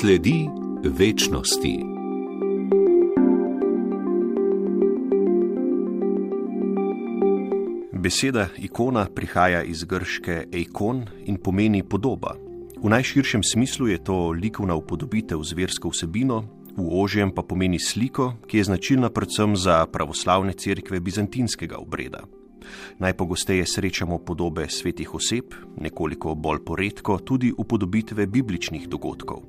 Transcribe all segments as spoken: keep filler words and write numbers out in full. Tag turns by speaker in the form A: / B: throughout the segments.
A: Sledi večnosti. Beseda ikona prihaja iz grške eikon in pomeni podoba. V najširšem smislu je to likovna upodobitev z versko vsebino, v ožjem pa pomeni sliko, ki je značilna predvsem za pravoslavne cerkve bizantinskega obreda. Najpogosteje srečamo podobe svetih oseb, nekoliko bolj poredko tudi upodobitve bibličnih dogodkov.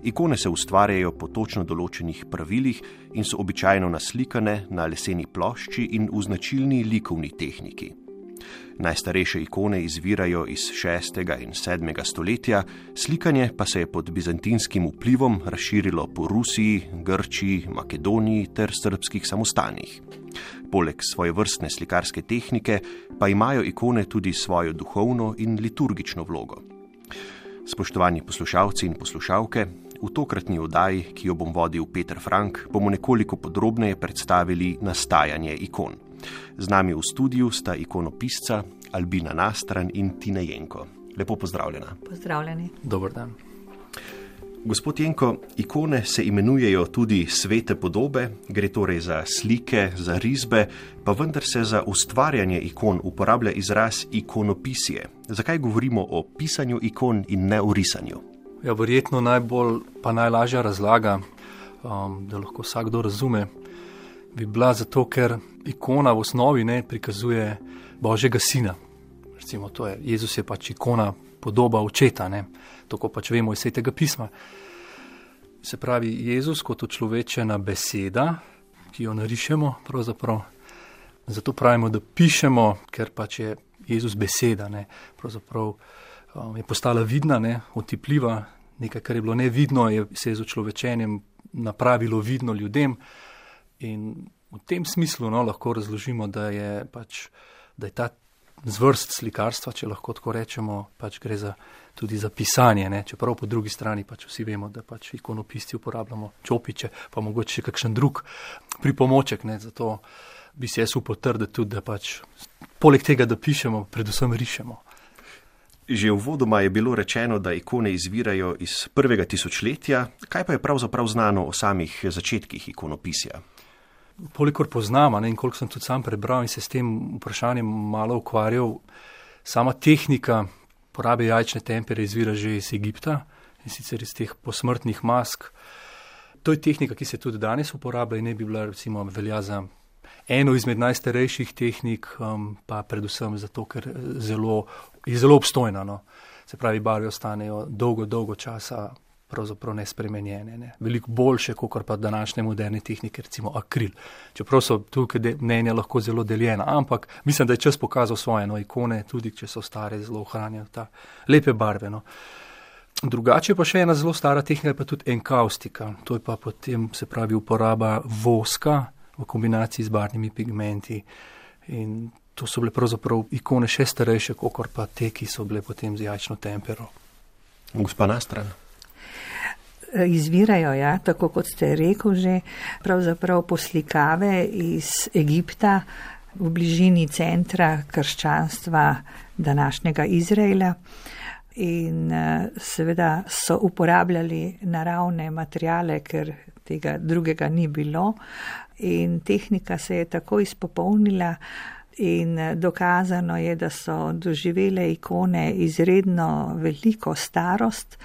A: Ikone se ustvarjajo po točno določenih pravilih in so običajno naslikane na leseni plošči in v značilni likovni tehniki. Najstarejše ikone izvirajo iz šestega in sedmega stoletja, slikanje pa se je pod bizantinskim vplivom razširilo po Rusiji, Grčiji, Makedoniji ter srbskih samostanih. Poleg svojevrstne slikarske tehnike pa imajo ikone tudi svojo duhovno in liturgično vlogo. Spoštovani poslušalci in poslušalke, v tokratni oddaji, ki jo bom vodil Peter Frank, bomo nekoliko podrobneje predstavili nastajanje ikon. Z nami v studiu sta ikonopisca Albina Nastran in Tina Jenko. Lepo pozdravljena.
B: Pozdravljeni.
C: Dober dan.
A: Gospod Jenko, ikone se imenujejo tudi svete podobe, gre torej za slike, za risbe, pa vendar se za ustvarjanje ikon uporablja izraz ikonopisje. Zakaj govorimo o pisanju ikon in ne o risanju?
C: Ja, verjetno najbolj pa najlažja razlaga, um, da lahko vsakdo razume, bi bila zato, ker ikona v osnovi ne prikazuje Božjega sina. Recimo, to je, Jezus je pač ikona, podoba očeta, ne, tako pač vemo iz Svetega pisma. Se pravi, Jezus kot človečena beseda, ki jo narišemo, pravzaprav, zato pravimo, da pišemo, ker pač je Jezus beseda, ne, pravzaprav um, je postala vidna, ne, otipljiva, nekaj, kar je bilo nevidno, je se je z človečenjem napravilo vidno ljudem. In v tem smislu no, lahko razložimo, da je, pač, da je ta zvrst slikarstva, če lahko tako rečemo, pač gre za, tudi za pisanje. Ne? Čeprav po drugi strani pač vsi vemo, da pač ikonopisti uporabljamo čopiče, pa mogoče še kakšen drug pripomoček. Ne? Zato bi se jaz upal trditi tudi, da pač poleg tega, da pišemo, predvsem rišemo.
A: Že uvodoma je bilo rečeno, da ikone izvirajo iz prvega tisočletja. Kaj pa je pravzaprav znano o samih začetkih ikonopisja?
C: Kolikor poznam, ne, in koliko sem tudi sam prebral in se s tem vprašanjem malo ukvarjal, sama tehnika porabe jajčne tempere izvira že iz Egipta in sicer iz teh posmrtnih mask. To je tehnika, ki se tudi danes uporablja in ne bi bila recimo velja za eno izmed najstarejših tehnik, um, pa predvsem zato, ker zelo, je zelo obstojna. No. Se pravi, barve ostanejo dolgo, dolgo časa pravzaprav nespremenjene. Ne. Veliko boljše, kot pa današnje moderne tehnike, recimo akril. Čeprav so tukaj mnenja lahko zelo deljena, ampak mislim, da je čas pokazal svoje no, ikone, tudi če so stare, zelo ohranjajo ta lepe barve. No. Drugače pa še ena zelo stara tehnika, pa tudi enkaustika. To je pa potem, se pravi, uporaba voska v kombinaciji z barvnimi pigmenti. In to so bile pravzaprav ikone še starejše, kot pa te, ki so bile potem z jajčno tempero.
A: Gospa Nastran.
B: Izvirajo, ja, tako kot ste rekel že, pravzaprav poslikave iz Egipta v bližini centra krščanstva današnjega Izraela in seveda so uporabljali naravne materiale, ker tega drugega ni bilo in tehnika se je tako izpopolnila in dokazano je, da so doživele ikone izredno veliko starost,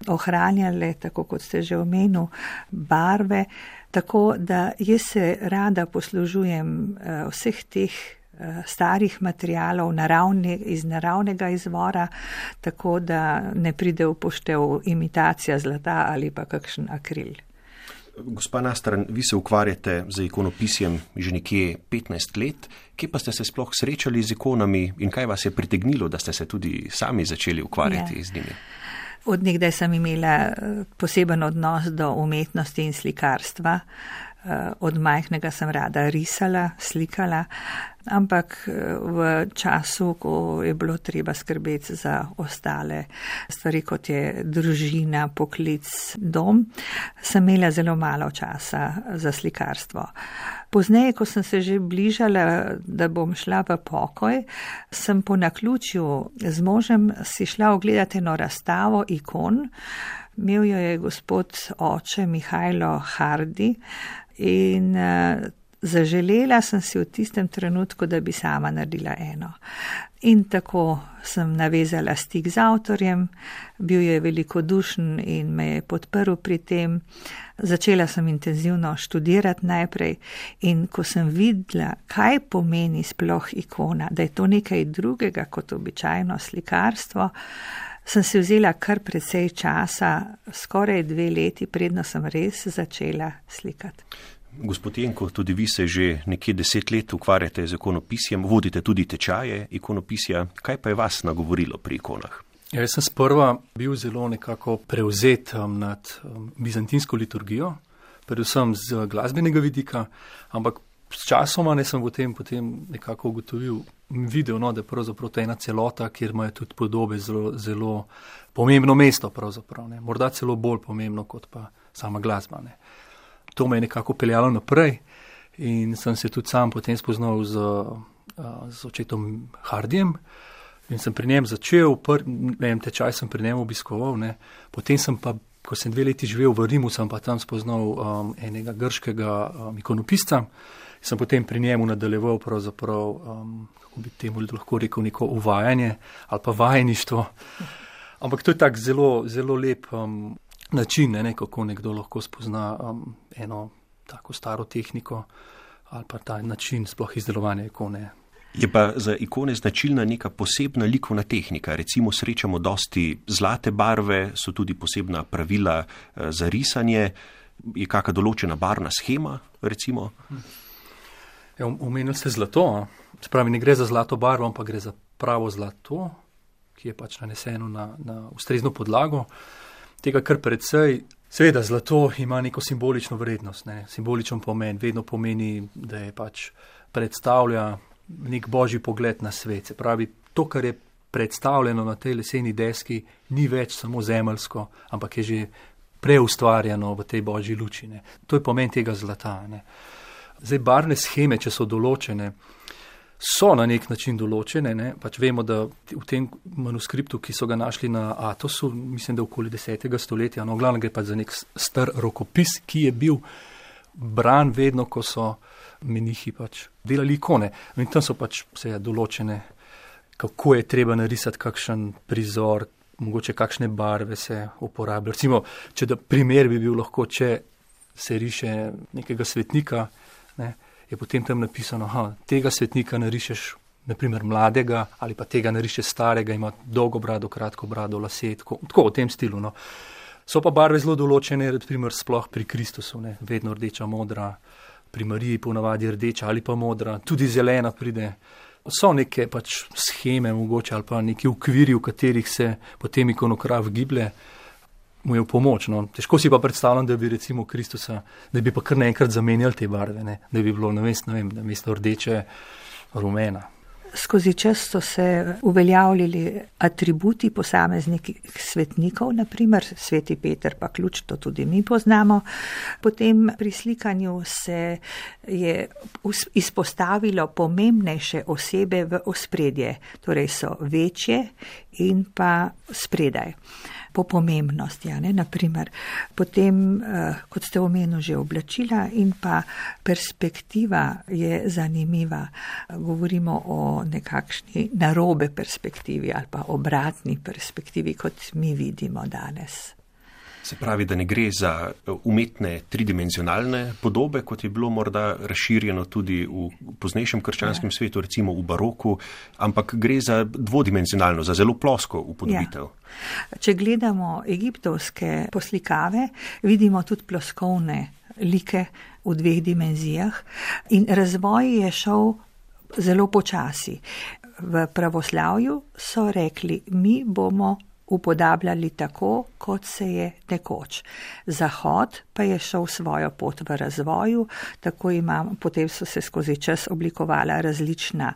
B: ohranjale, tako kot ste že omenil, barve, tako da jaz se rada poslužujem vseh teh starih materialov naravne, iz naravnega izvora, tako da ne pride v poštev imitacija zlata ali pa kakšen akril.
A: Gospa Nastran, vi se ukvarjate z ikonopisjem že nekje petnajst let. Kje pa ste se sploh srečali z ikonami in kaj vas je pritegnilo, da ste se tudi sami začeli ukvarjati ja. z njimi?
B: Od nekdaj sem imela poseben odnos do umetnosti in slikarstva. Od majhnega sem rada risala, slikala, ampak v času, ko je bilo treba skrbeti za ostale stvari, kot je družina, poklic, dom, sem imela zelo malo časa za slikarstvo. Pozneje, ko sem se že bližala, da bom šla v pokoj, sem po naključju z možem si šla ogledati eno razstavo ikon, Imel jo je gospod oče Mihajlo Hardi in uh, zaželela sem si v tistem trenutku, da bi sama naredila eno. In tako sem navezala stik z avtorjem, bil je velikodušen in me je podprl pri tem. Začela sem intenzivno študirati najprej in ko sem videla, kaj pomeni sploh ikona, da je to nekaj drugega kot običajno slikarstvo, sem si vzela kar precej časa, skoraj dve leti, predno sem res začela slikati.
A: Gospod Jenko, tudi vi se že nekje deset let ukvarjate z ikonopisjem, vodite tudi tečaje ikonopisja. Kaj pa je vas nagovorilo pri ikonah?
C: Ja, jaz sem sprva bil zelo nekako prevzet um, nad um, bizantinsko liturgijo, predvsem z glasbenega vidika, ampak s časoma ne sem v tem potem nekako ugotovil, videl, no, da je pravzaprav to ena celota, kjer imajo tudi podobe zelo, zelo pomembno mesto pravzaprav, ne. Morda celo bolj pomembno kot pa sama glasba, ne. To me je nekako peljalo naprej in sem se tudi sam potem spoznal z, z očetom Hardijem in sem pri njem začel, pr, ne vem, tečaj sem pri njem obiskoval, ne. Potem sem pa, ko sem dve leti živel v Rimu, sem pa tam spoznal um, enega grškega um, ikonopisca, sem potem pri njemu nadaljeval pravzaprav, um, kako bi temu lahko rekel, neko uvajanje ali pa vajeništvo. Ampak to je tak zelo, zelo lep um, način, ne, ne, kako nekdo lahko spozna um, eno tako staro tehniko ali pa ta način sploh izdelovanja ikone.
A: Je pa za ikone značilna neka posebna likovna tehnika. Recimo srečamo dosti zlate barve, so tudi posebna pravila za risanje. Je kakšna določena barvna shema, recimo?
C: Ja, omenili ste zlato. Spravi, ne gre za zlato barvo, ampak gre za pravo zlato, ki je pač naneseno na, na ustrezno podlago. Tega kar precej, seveda zlato ima neko simbolično vrednost, ne, simboličen pomen, vedno pomeni, da je pač predstavlja nek božji pogled na svet. Se pravi, to, kar je predstavljeno na tej leseni deski, ni več samo zemeljsko, ampak je že preustvarjeno v tej božji luči, ne. To je pomen tega zlata, ne. Zdaj, barvne sheme, če so določene, so na nek način določene, ne? Pač vemo, da v tem manuskriptu, ki so ga našli na Atosu, mislim, da okoli desetega stoletja, no, glavno gre pa za nek star rokopis, ki je bil bran vedno, ko so menihi pač delali ikone. In tam so pač vse določene, kako je treba narisati kakšen prizor, mogoče kakšne barve se uporabljajo. Recimo, če da primer bi bil lahko, če se riše nekega svetnika, ne, je potem tam napisano, aha, tega svetnika narišeš, naprimer mladega, ali pa tega narišeš starega, ima dolgo brado, kratko brado, lase, tako, tako v tem stilu. No. So pa barve zelo določene, naprimer sploh pri Kristusu, ne, vedno rdeča, modra, pri Mariji ponavadi rdeča ali pa modra, tudi zelena pride. So neke pač sheme mogoče ali pa neki okviri, v katerih se potem ikonograf giblje, mu je v pomoč. No. Težko si pa predstavljam, da bi recimo Kristusa, da bi pa kar naenkrat zamenjali te barve, ne. Da bi bilo namesto, ne vem, namesto rdeče rumena.
B: Skozi čas so se uveljavljali atributi posameznih svetnikov, naprimer sveti Peter pa ključ, to tudi mi poznamo. Potem pri slikanju se je izpostavilo pomembnejše osebe v ospredje, torej so večje in pa spredaj. Po pomembnosti, ja, ne, naprimer. Potem, eh, kot ste omenili, že oblačila in pa perspektiva je zanimiva. Govorimo o nekakšni narobe perspektivi ali pa obratni perspektivi, kot mi vidimo danes.
A: Se pravi, da ne gre za umetne tridimenzionalne podobe, kot je bilo morda razširjeno tudi v poznejšem krščanskem ja. svetu, recimo v baroku, ampak gre za dvodimenzionalno, za zelo plosko upodobitev.
B: Ja. Če gledamo egiptovske poslikave, vidimo tudi ploskovne like v dveh dimenzijah in razvoj je šel zelo počasi. V pravoslavju so rekli, mi bomo upodabljali tako, kot se je nekoč. Zahod pa je šel svojo pot v razvoju, tako imam, potem so se skozi čas oblikovala različna,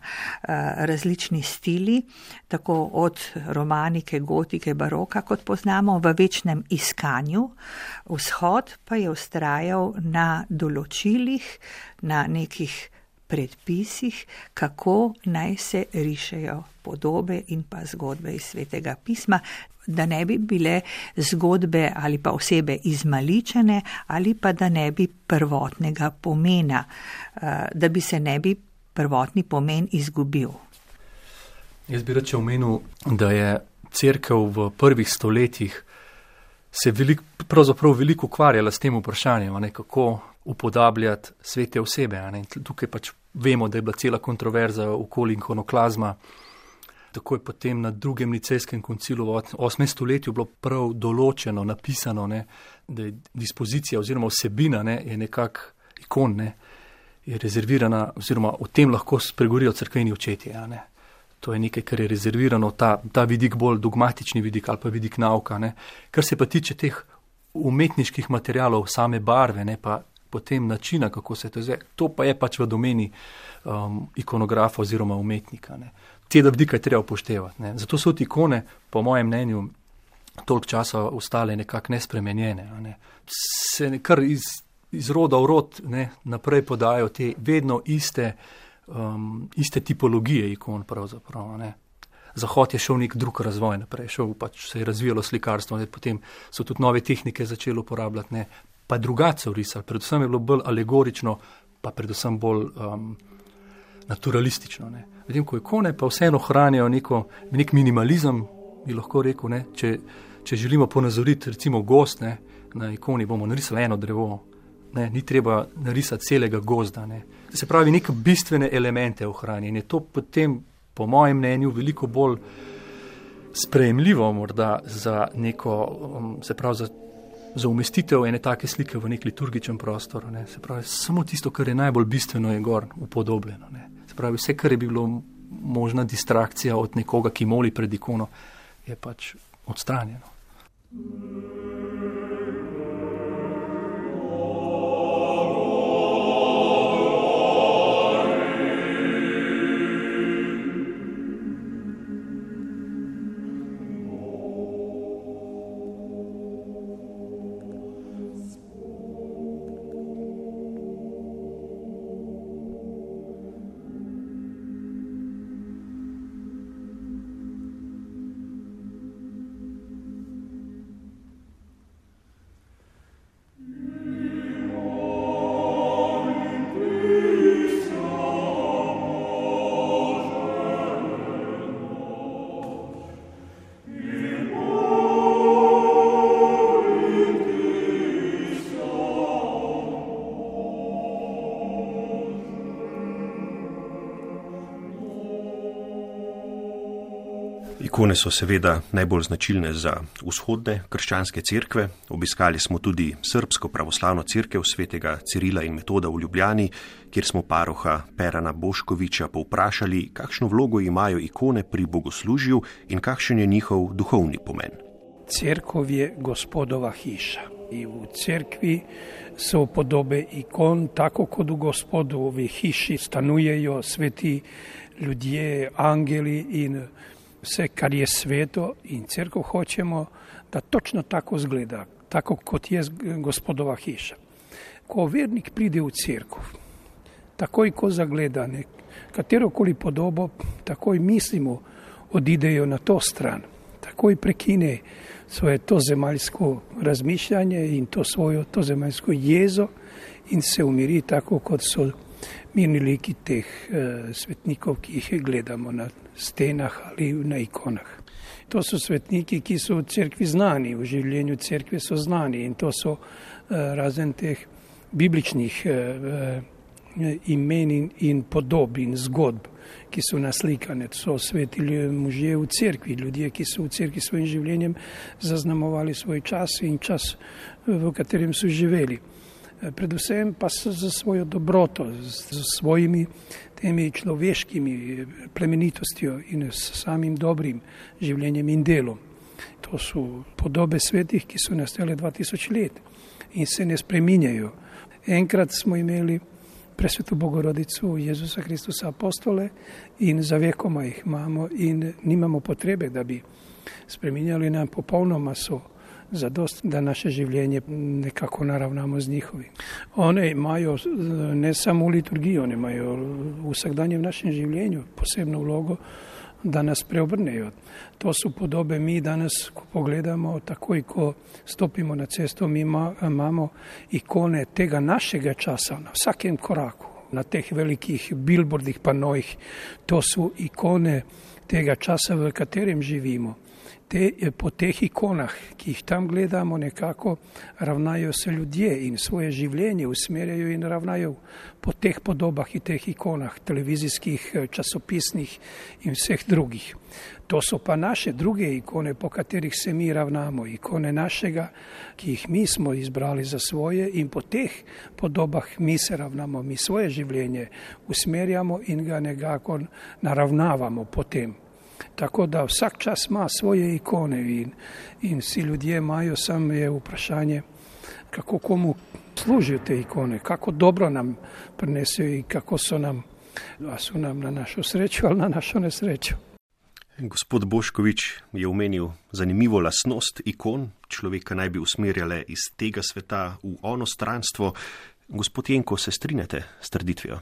B: različni stili, tako od romanike, gotike, baroka, kot poznamo, v večnem iskanju. Vzhod pa je vztrajal na določilih, na nekih predpisih, kako naj se rišejo podobe in pa zgodbe iz Svetega pisma, da ne bi bile zgodbe ali pa osebe izmaličene ali pa da ne bi prvotnega pomena, da bi se ne bi prvotni pomen izgubil.
C: Jaz bi reče omenil, da je cerkev v prvih stoletjih se velik, pravzaprav veliko ukvarjala s tem vprašanjem, ne, kako upodabljati svete osebe. Ne. Tukaj pač vemo, da je bila cela kontroverza okoli ikonoklazma. Tako je potem na drugem nicejskem koncilu v osmem stoletju bilo prav določeno, napisano, ne, da je dispozicija oziroma vsebina ne, je nekak ikon, ne, je rezervirana oziroma o tem lahko spregovorijo cerkveni očetje. Ja, ne. To je nekaj, kar je rezervirano, ta, ta vidik bolj dogmatični vidik ali pa vidik nauka. Ne. Kar se pa tiče teh umetniških materialov, same barve, ne, pa potem načina, kako se to izve, to pa je pač v domeni um, ikonografa oziroma umetnika. Ne. Te vidike je treba upoštevati. Ne. Zato so ti ikone, po mojem mnenju, toliko časa ostale nekako nespremenjene. Ne. Se kar iz, iz roda v rod ne, naprej podajo te vedno iste, um, iste tipologije ikon pravzaprav. Ne. Zahod je šel nek drug razvoj naprej, šel pač se je razvijalo slikarstvo, ne. Potem so tudi nove tehnike začeli uporabljati, ne. Pa drugače risali, predvsem je bilo bolj alegorično, pa predvsem bolj um, naturalistično. Ne. Vidim, ko ikone pa vseeno hranijo neko, nek minimalizem, bi lahko rekel, ne, če, če želimo ponazoriti recimo gozd, ne, na ikoni bomo narisali eno drevo, ne, ni treba narisati celega gozda. Ne. Se pravi, neke bistvene elemente ohranijo in je to potem, po mojem mnenju, veliko bolj sprejemljivo morda za neko, se pravi, za, za umestitev ene take slike v nek liturgičen prostor. Ne. Se pravi, samo tisto, kar je najbolj bistveno, je gor upodobljeno. Ne. Pravi, vse, kar je bilo možna distrakcija od nekoga, ki moli pred ikono, je pač odstranjeno.
A: Ikone so seveda najbolj značilne za vzhodne krščanske cerkve. Obiskali smo tudi srbsko pravoslavno cerkev svetega Cirila in Metoda v Ljubljani, kjer smo paroha Perana Boškoviča povprašali, kakšno vlogo imajo ikone pri bogoslužju in kakšen je njihov duhovni pomen.
D: Cerkov je Gospodova hiša. I u cerkvi su podobe ikon, tako kod u Gospodovi hiši stanujejo sveti ljudje, angeli in sve kar je sveto in cerkov hoćemo da točno tako zgleda, tako kot je Gospodova hiša. Ko vernik pride u cerkov, takoj ko zagleda nek, katerokoli podobo, takoj mislimo odidejo na to stran, takoj prekine svoje to zemaljsko razmišljanje in to svojo to zemaljsko jezo in se umiri tako kot so mirni liki teh e, svetnikov, ki jih gledamo na stenah ali na ikonah. To so svetniki, ki so v cerkvi znani, v življenju cerkve so znani in to so e, razen teh bibličnih e, e, imen in, in podob in zgodb, ki so naslikane. To so sveti možje v cerkvi, ljudje, ki so v cerkvi svojim življenjem zaznamovali svoj čas in čas, v katerem so živeli. Predvsem pa za svojo dobroto, z svojimi temi človeškimi plemenitostjo in s samim dobrim življenjem in delom. To so podobe svetih, ki so nastale dva tisoč let in se ne spreminjajo. Enkrat smo imeli presvetu Bogorodicu Jezusa Kristusa apostole in za vekoma jih imamo in nimamo potrebe, da bi spreminjali nam popolnoma so zadost, da naše življenje nekako naravnamo z njihovim. One imajo ne samo v liturgiji, one imajo v vsakdanjem našem življenju posebno vlogo, da nas preobrnejo. To su podobe mi danas, ko pogledamo, takoj ko stopimo na cesto, mi ima, imamo ikone tega našega časa na vsakem koraku, na teh velikih billboardih, panojih. To su ikone tega časa, v katerem živimo. Te, po teh ikonah, ki jih tam gledamo, nekako ravnajo se ljudje in svoje življenje usmerjajo in ravnajo po teh podobah in teh ikonah, televizijskih, časopisnih in vseh drugih. To so pa naše druge ikone, po katerih se mi ravnamo, ikone našega, ki jih mi smo izbrali za svoje in po teh podobah mi se ravnamo, mi svoje življenje usmerjamo in ga nekako naravnavamo potem. Tako da vsak čas ima svoje ikone in, in vsi ljudje imajo, samo je vprašanje, kako komu služijo te ikone, kako dobro nam prinesejo in kako so nam, a so nam na našo srečo ali na našo nesrečo.
A: Gospod Boškovič je omenil zanimivo lastnost ikon, človeka naj bi usmerjale iz tega sveta v ono stranstvo. Gospod Jenko, se strinjate s trditvijo?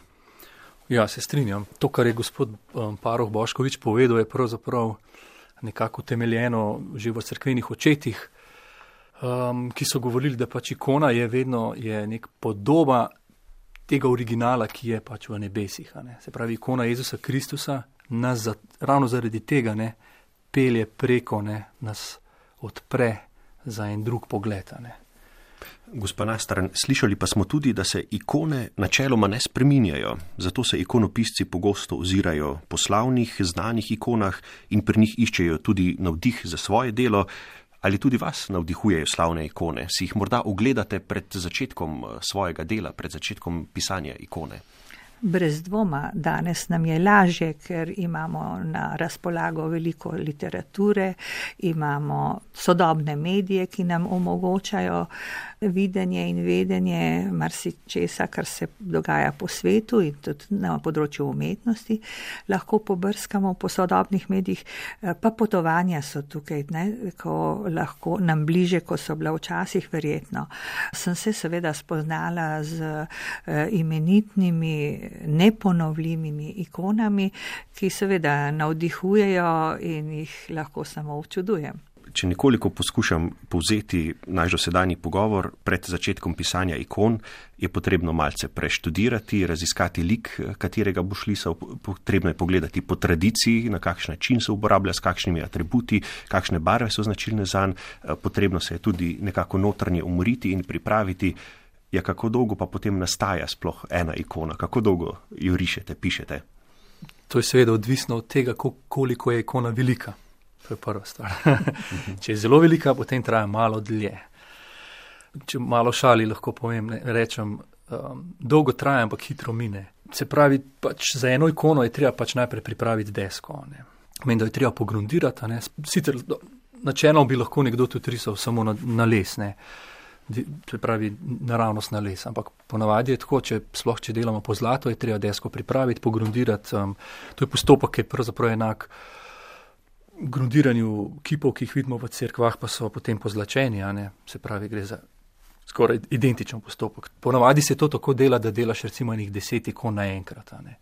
C: Ja, se strinjam. To, kar je gospod um, Paroh Boškovič povedal, je pravzaprav nekako temeljeno že v cerkvenih očetih, um, ki so govorili, da pač ikona je vedno je nek podoba tega originala, ki je pač v nebesih. Ne. Se pravi, ikona Jezusa Kristusa nas za, ravno zaradi tega ne, pelje preko, ne, nas odpre za en drug pogled. Ne.
A: Gospa Nastran, slišali pa smo tudi, da se ikone načeloma ne spreminjajo, zato se ikonopisci pogosto ozirajo po slavnih, znanih ikonah in pri njih iščejo tudi navdih za svoje delo. Ali tudi vas navdihujejo slavne ikone? Si jih morda ogledate pred začetkom svojega dela, pred začetkom pisanja ikone?
B: Brez dvoma, danes nam je lažje, ker imamo na razpolago veliko literature, imamo sodobne medije, ki nam omogočajo videnje in vedenje marsičesa, kar se dogaja po svetu in tudi na področju umetnosti. Lahko pobrskamo po sodobnih medijih, pa potovanja so tukaj, ne, ko lahko nam bliže, ko so bila včasih verjetno. Sem se seveda spoznala z imenitnimi, neponovljivimi ikonami, ki seveda navdihujejo in jih lahko samo občudujem.
A: Če nekoliko poskušam povzeti naš dosedanji pogovor, pred začetkom pisanja ikon je potrebno malce preštudirati, raziskati lik, katerega boš lisal, potrebno je pogledati po tradiciji, na kakšen način se uporablja, s kakšnimi atributi, kakšne barve so značilne zanj, potrebno se je tudi nekako notranje umoriti in pripraviti. Ja, kako dolgo pa potem nastaja sploh ena ikona, kako dolgo jo rišete, pišete?
C: To je seveda odvisno od tega, koliko je ikona velika. To je prva stvar. Če je zelo velika, potem traja malo dlje. Če malo šali lahko povem, ne, rečem, um, dolgo traja, ampak hitro mine. Se pravi, pač za eno ikono je treba pač najprej pripraviti desko. Ne. Meni, da je treba pogrundirati. Ne. Sicer načelno bi lahko nekdo tudi risal samo na, na les, ne. Se pravi, naravnost na les. Ampak ponavadi je tako, če sploh če delamo po zlatu, je treba desko pripraviti, pogrundirati. Um, to je postopek, ki je pravzaprav enak grundiranju kipov, ki jih vidimo v cerkvah, pa so potem pozlačeni, a ne, se pravi, gre za skoraj identičen postopek. Ponavadi se to tako dela, da delaš recimo enih deset ikon naenkrat, a ne,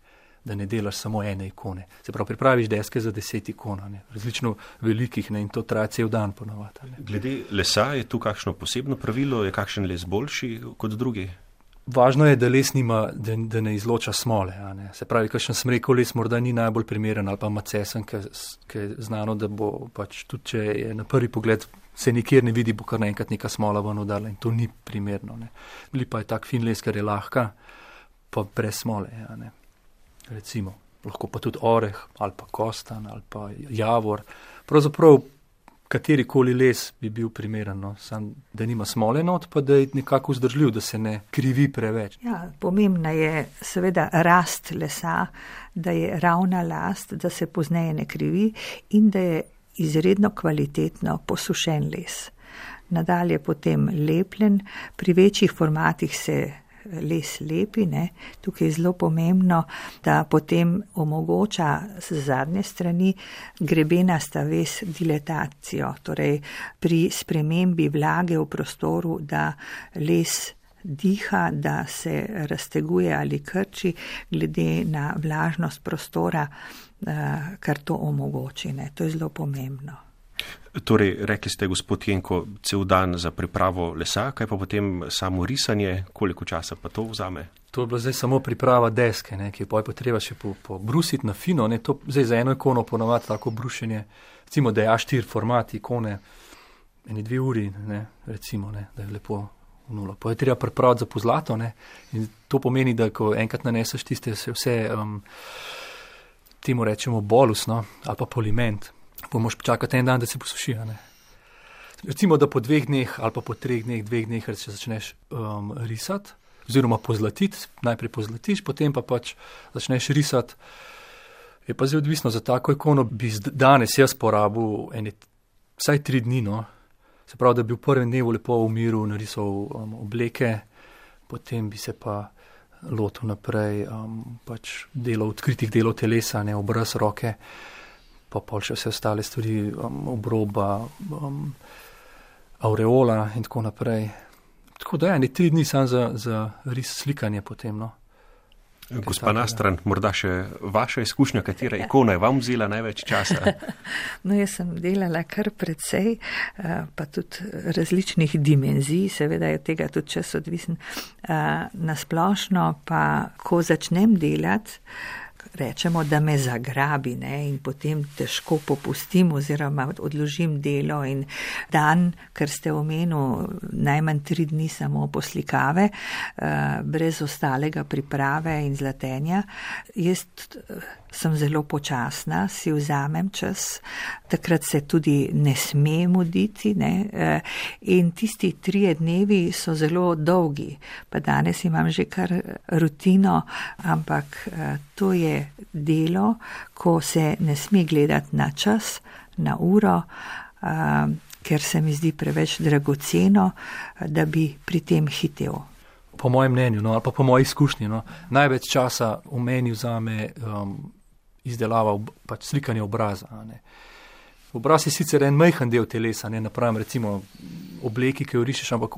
C: da ne delaš samo ene ikone. Se pravi, pripraviš deske za deset ikon, a ne, različno velikih, ne, in to traja cel dan ponavadi, a ne.
A: Glede lesa, je tu kakšno posebno pravilo, je kakšen les boljši kot drugi?
C: Važno je, da les nima, da, da ne izloča smole. A ne. Se pravi, kakšen sem rekel, les morda ni najbolj primeren ali pa macesen, ki je znano, da bo pač tudi, če je na prvi pogled se nikjer ne vidi, bo kar naenkrat neka smola ven udarila in to ni primerno. Ne. Lipa je tak fin les, ker je lahka, pa brez smole. A ne. Recimo, lahko pa tudi oreh ali pa kostan ali pa javor. Pravzaprav katerikoli les bi bil primeren, no? Sam, da nima smole not, pa da je nekako vzdržljiv, da se ne krivi preveč.
B: Ja, pomembna je seveda rast lesa, da je ravna last, da se pozneje ne krivi in da je izredno kvalitetno posušen les. Nadalje potem lepljen, pri večjih formatih se les lepi, ne, tukaj je zelo pomembno, da potem omogoča z zadnje strani grebenasta ves dilatacijo, torej pri spremembi vlage v prostoru, da les diha, da se razteguje ali krči glede na vlažnost prostora, kar to omogoči. Ne. To je zelo pomembno.
A: Torej, rekli ste, gospod Jenko, cel dan za pripravo lesa, kaj pa potem samo risanje, koliko časa pa to vzame?
C: To je bila zdaj samo priprava deske, ne, ki je pa treba še pobrusiti po na fino. Ne, to zdaj za eno ikono ponavadi tako brušenje, recimo, da je A štiri format ikone, eni dve uri, ne, recimo, ne, da je lepo v nulo. Pa je treba pripraviti za pozlato, ne, in to pomeni, da ko enkrat naneseš tiste vse, um, temu rečemo bolus, no, ali pa poliment, pa moš počakati en dan, da se posuši. Ne. Recimo, da po dveh dneh ali pa po treh dneh, dveh dneh, če začneš um, risati, oziroma pozlatiti, najprej pozlatiš, potem pa pač začneš risati. Je pa zdaj odvisno, za tako ikono bi danes jaz porabil ene, vsaj tri dni, no. Se pravi, da bi v prvem dnevu lepo v miru narisal um, obleke, potem bi se pa lotil naprej um, pač delov, odkritih delov telesa, ne, obraz, roke, pa pol še vse ostale stvari, um, obroba, um, aureola in tako naprej. Tako da je, ne tri dni sam za, za ris slikanje potem, no.
A: Gospa Nastran, morda še vaša izkušnja, katera ikona je vam vzela največ časa?
B: No, jaz sem delala kar precej, pa tudi različnih dimenzij, seveda je tega tudi čas odvisen. Nasplošno pa, ko začnem delati, rečemo, da me zagrabi, ne, in potem težko popustim oziroma odložim delo in dan, ker ste omenil najmanj tri dni samo poslikave, brez ostalega priprave in zlatenja. Jaz sem zelo počasna, si vzamem čas, takrat se tudi ne sme muditi, ne, in tisti trije dnevi so zelo dolgi, pa danes imam že kar rutino, ampak to je delo, ko se ne sme gledati na čas, na uro, ker se mi zdi preveč dragoceno, da bi pri tem hitel.
C: Po mojem mnenju, no, ali pa po moji izkušnji, no, največ časa v meni vzame um, izdelava, pač slikanje obraza. Ne. Obraz je sicer en majhen del telesa, ne, napravim recimo obleki, ki jo rišeš, ampak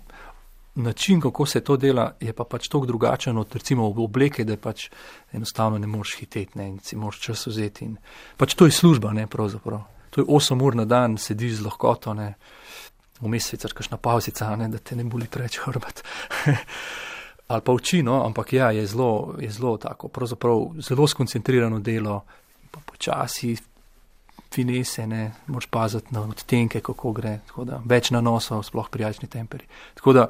C: način, kako se to dela, je pa pač toliko drugačen od recimo obleke, da pač enostavno ne moreš hiteti, ne, in si moraš čas vzeti. In pač to je služba, ne, pravzaprav. To je osem ur na dan, sediš z lahkoto, ne, vmes sicer kakšna pavzica, ne, da te ne boli preveč hrbet. Ali pa oči, no, ampak ja, je zelo, je zelo tako, pravzaprav zelo skoncentrirano delo, pa počasi finese, ne, moraš paziti na odtenke, kako gre, tako da več nanosov, sploh prijačni temperi. Tako da,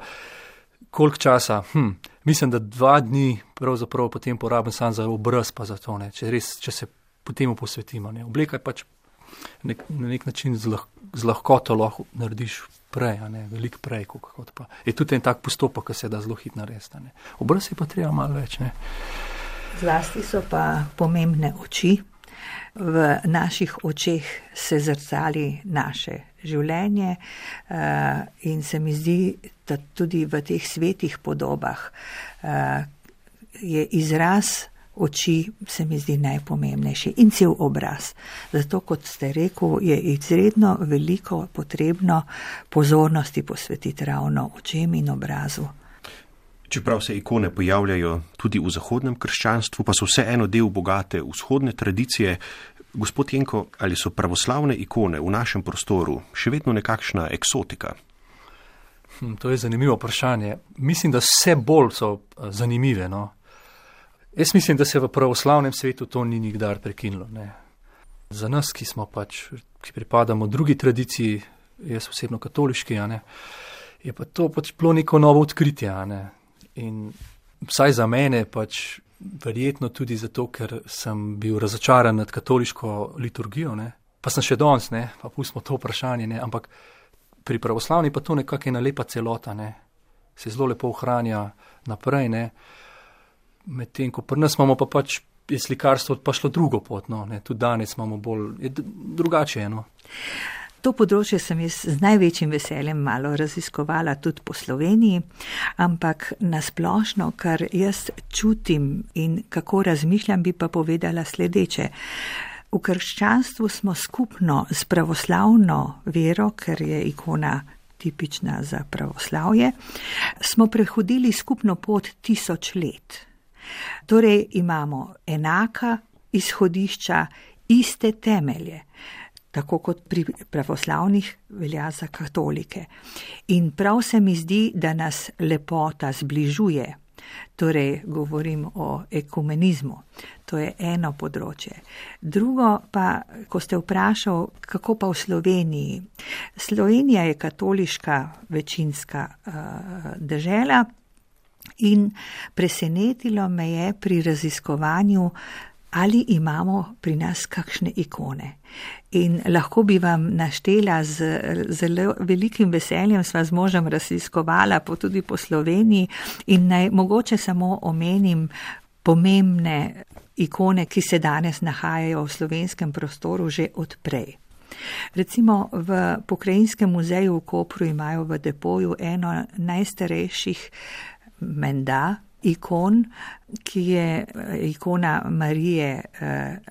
C: koliko časa, hm, mislim, da dva dni pravzaprav potem porabim sam za obraz, pa za to, ne, če res, če se potem posvetimo, ne, obleka je pač nek, na nek način z, lah, z lahkoto lahko narediš prej, a ne, veliko prej, kot pa. Je tudi en tak postopek, ki se da zelo hitro narediti, ne. Obraz je pa treba malo več, ne.
B: Zlasti so pa pomembne oči. V naših očeh se zrcali naše življenje in se mi zdi, da tudi v teh svetih podobah je izraz oči, se mi zdi najpomembnejši in cel obraz. Zato, kot ste rekel, je izredno veliko potrebno pozornosti posvetiti ravno očem in obrazu.
A: Čeprav se ikone pojavljajo tudi v zahodnem krščanstvu, pa so vseeno del bogate vzhodne tradicije. Gospod Jenko, ali so pravoslavne ikone v našem prostoru še vedno nekakšna eksotika?
C: Hm, to je zanimivo vprašanje. Mislim, da vse bolj so zanimive, no. Jaz mislim, da se v pravoslavnem svetu to ni nikdar prekinilo, ne. Za nas, ki smo pač, ki pripadamo drugi tradiciji, jaz osebno katoliški, a ne, je pa to pač bilo neko novo odkritje, a ne. In vsaj za mene pač verjetno tudi zato, ker sem bil razočaran nad katoliško liturgijo, ne. Pa sem še danes, ne, pa pustimo to vprašanje, ne, ampak pri pravoslavni pa to nekako ena lepa celota, ne. Se zelo lepo ohranja naprej, ne. Medtem, ko pri nas imamo pa pač je slikarstvo pa šlo drugo pot, no, ne. Tudi danes imamo bolj, je drugače, no.
B: To področje sem jaz z največjim veseljem malo raziskovala tudi po Sloveniji, ampak nasplošno, kar jaz čutim in kako razmišljam, bi pa povedala sledeče. V krščanstvu smo skupno s pravoslavno vero, ker je ikona tipična za pravoslavje, smo prehodili skupno pot tisoč let. Torej imamo enaka izhodišča, iste temelje, tako kot pri pravoslavnih velja za katolike. In prav se mi zdi, da nas lepota zbližuje. Torej, govorim o ekumenizmu. To je eno področje. Drugo pa, ko ste vprašal, kako pa v Sloveniji. Slovenija je katoliška večinska uh, dežela in presenetilo me je pri raziskovanju, ali imamo pri nas kakšne ikone. In lahko bi vam naštela z zelo velikim veseljem, sva z možem raziskovala po tudi po Sloveniji in naj mogoče samo omenim pomembne ikone, ki se danes nahajajo v slovenskem prostoru že odprej. Recimo v Pokrajinskem muzeju v Kopru imajo v depoju eno najstarejših menda ikon, ki je ikona Marije,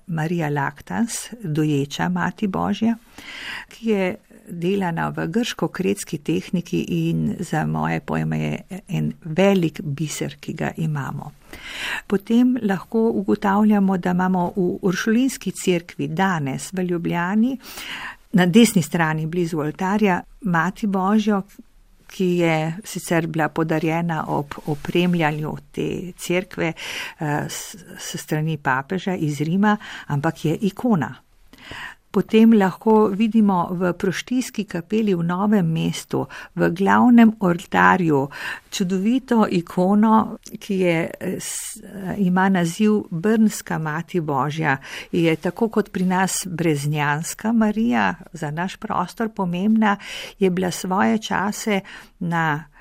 B: Marija Lactans, doječa Mati Božja, ki je delana v grško-kretski tehniki in za moje pojme je en velik biser, ki ga imamo. Potem lahko ugotavljamo, da imamo v Uršulinski cerkvi danes v Ljubljani na desni strani blizu oltarja Mati Božjo, ki je sicer bila podarjena ob opremljanju te cerkve s, s strani papeža iz Rima, ampak je ikona. Potem lahko vidimo v Proštijski kapeli v Novem mestu, v glavnem oltarju, čudovito ikono, ki je, ima naziv Brnska Mati Božja. Je tako kot pri nas Breznjanska Marija, za naš prostor pomembna, je bila svoje čase na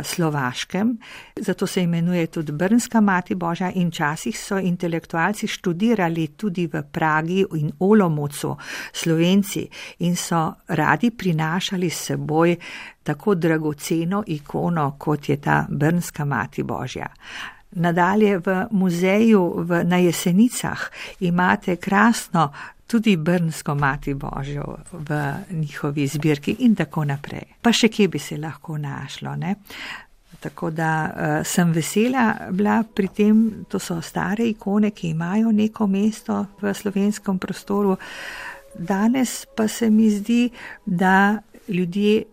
B: Slovaškem, zato se imenuje tudi Brnska Mati Božja in včasih so intelektualci študirali tudi v Pragi in Olomoucu, Slovenci, in so radi prinašali s seboj tako dragoceno ikono, kot je ta Brnska Mati Božja. Nadalje v muzeju v, na Jesenicah imate krasno tudi Brnsko Mati Božjo v njihovi zbirki in tako naprej. Pa še kje bi se lahko našlo, ne? Tako da uh, sem vesela bila pri tem, to so stare ikone, ki imajo neko mesto v slovenskem prostoru. Danes pa se mi zdi, da ljudje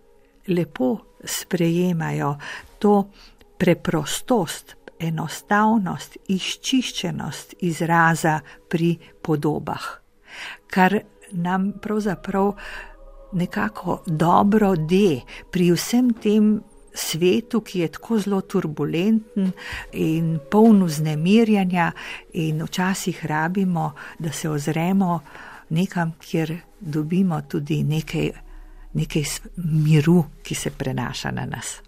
B: lepo sprejemajo to preprostost, enostavnost, izčiščenost izraza pri podobah, kar nam pravzaprav nekako dobro de pri vsem tem svetu, ki je tako zelo turbulenten in poln vznemirjanja in včasih rabimo, da se ozremo nekam, kjer dobimo tudi nekaj, nekaj miru, ki se prenaša na nas.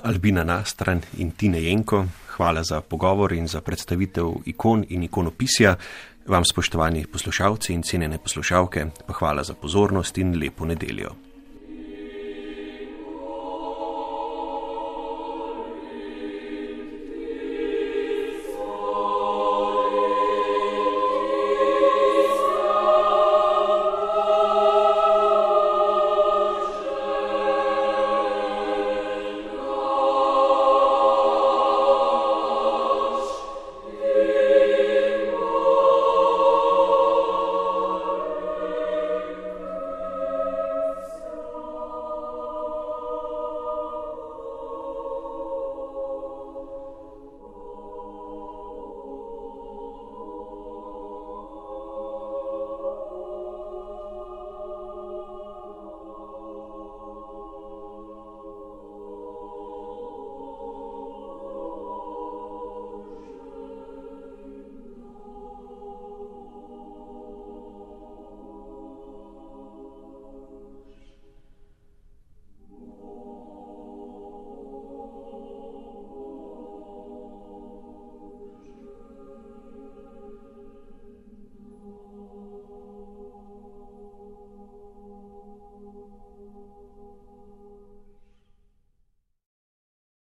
A: Albina Nastran in Tine Jenko, hvala za pogovor in za predstavitev ikon in ikonopisja. Vam, spoštovani poslušalci in cenjene poslušalke, pa hvala za pozornost in lepo nedeljo.